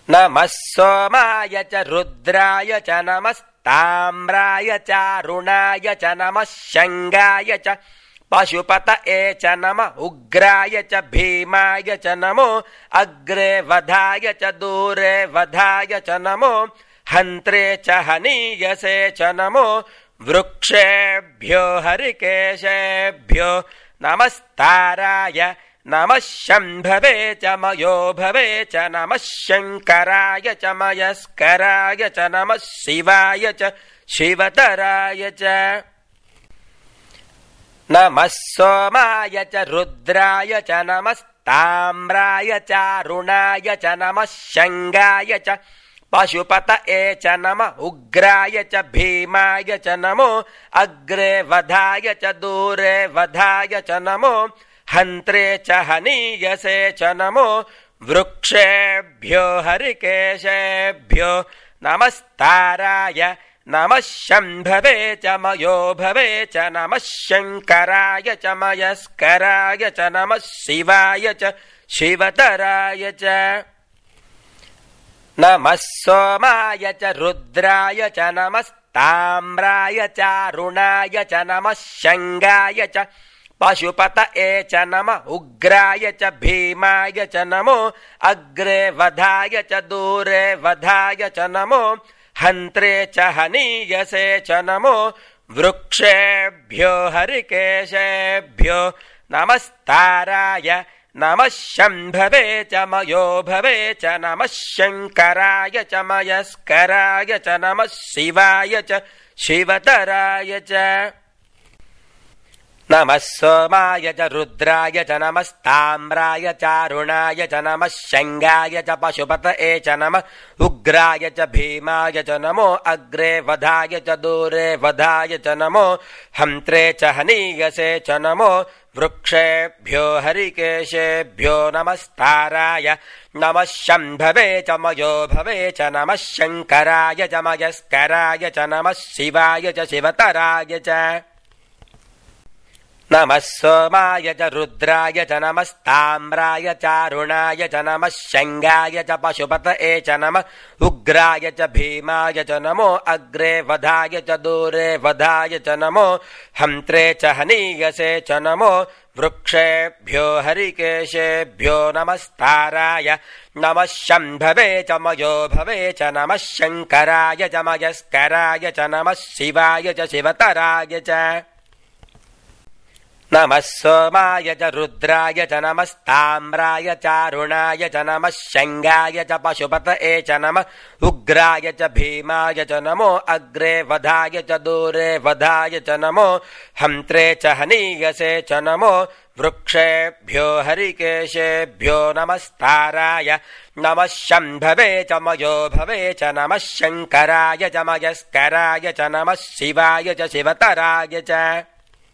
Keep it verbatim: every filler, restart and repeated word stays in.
नमः सोमाय च रुद्राय च नमस्ताम्राय चारुणाय च नमः शङ्गाय च पशुपतये च नमः उग्राय च भीमाय च नमो अग्रे वधाय च दूरे वधाय च नमो हन्त्रे च हनीयसे च नमो वृक्षेभ्यो हरिकेशेभ्यो नमस्ताराय नमः शम्भवे च मयो भवे च नमः शङ्कराय च मयस्कराय च नमः शिवाय च शिवतराय च नमः सोमाय च रुद्राय च नमस्ताम्राय चारुणाय च नमः शङ्गाय च पशुपतये च नमः उग्राय च भीमाय च नमो अग्रे वधाय च दूरे वधाय च नमो हन्त्रे च हनीयसे च नमो वृक्षेभ्यो हरिकेशेभ्यो नमस्ताराय नमः शम्भवे च मयो भवे च नमः शङ्कराय च मयस्कराय च नमः शिवाय च शिवतराय च नमः सोमाय च रुद्राय च नमस्ताम्राय चारुणाय च नमः शङ्गाय च पशुपतये च नमः उग्राय च भीमाय च नमो अग्रे वधाय च दूरे वधाय च नमो हन्त्रे च हनीयसे च नमो वृक्षेभ्यो हरिकेशेभ्यो नमस्ताराय नमः शम्भवे च मयो भवे च नमः शङ्कराय च मयस्कराय च नमः शिवाय च शिवतराय च नमः सोमाय च रुद्राय च नमस्ताम्राय चारुणाय च नमः शङ्गाय च पशुपतये च नमः उग्राय च भीमाय च नमो अग्रे वधाय च दूरे वधाय च नमो हन्त्रे च हनीयसे च नमो वृक्षेभ्यो हरिकेशेभ्यो नमस्ताराय नमः शम्भवे च मयो भवे च नमः शङ्कराय च मयस्कराय च नमः शिवाय च शिवतराय च नमः सोमाय च रुद्राय च नमस्ताम्राय चारुणाय च नमः शङ्गाय च पशुपतये च नमः उग्राय च भीमाय च नमो अग्रे वधाय च दूरे वधाय च नमो हन्त्रे च हनीयसे च नमो वृक्षेभ्यो हरिकेशेभ्यो नमस्ताराय नमः शम्भवे च मयो भवे च नमः शङ्कराय च मयस्कराय च नमः शिवाय च शिवतराय च नमः सोमाय च रुद्राय च नमस्ताम्राय चारुणाय च नमः शङ्गाय च पशुपतये च नमः उग्राय च भीमाय च नमो अग्रे वधाय च दूरे वधाय च नमो हन्त्रे च हनीयसे च नमो वृक्षेभ्यो हरिकेशेभ्यो नमस्ताराय नमः शम्भवे च मयो भवे च नमः शङ्कराय च मयस्कराय च नमः शिवाय च शिवतराय च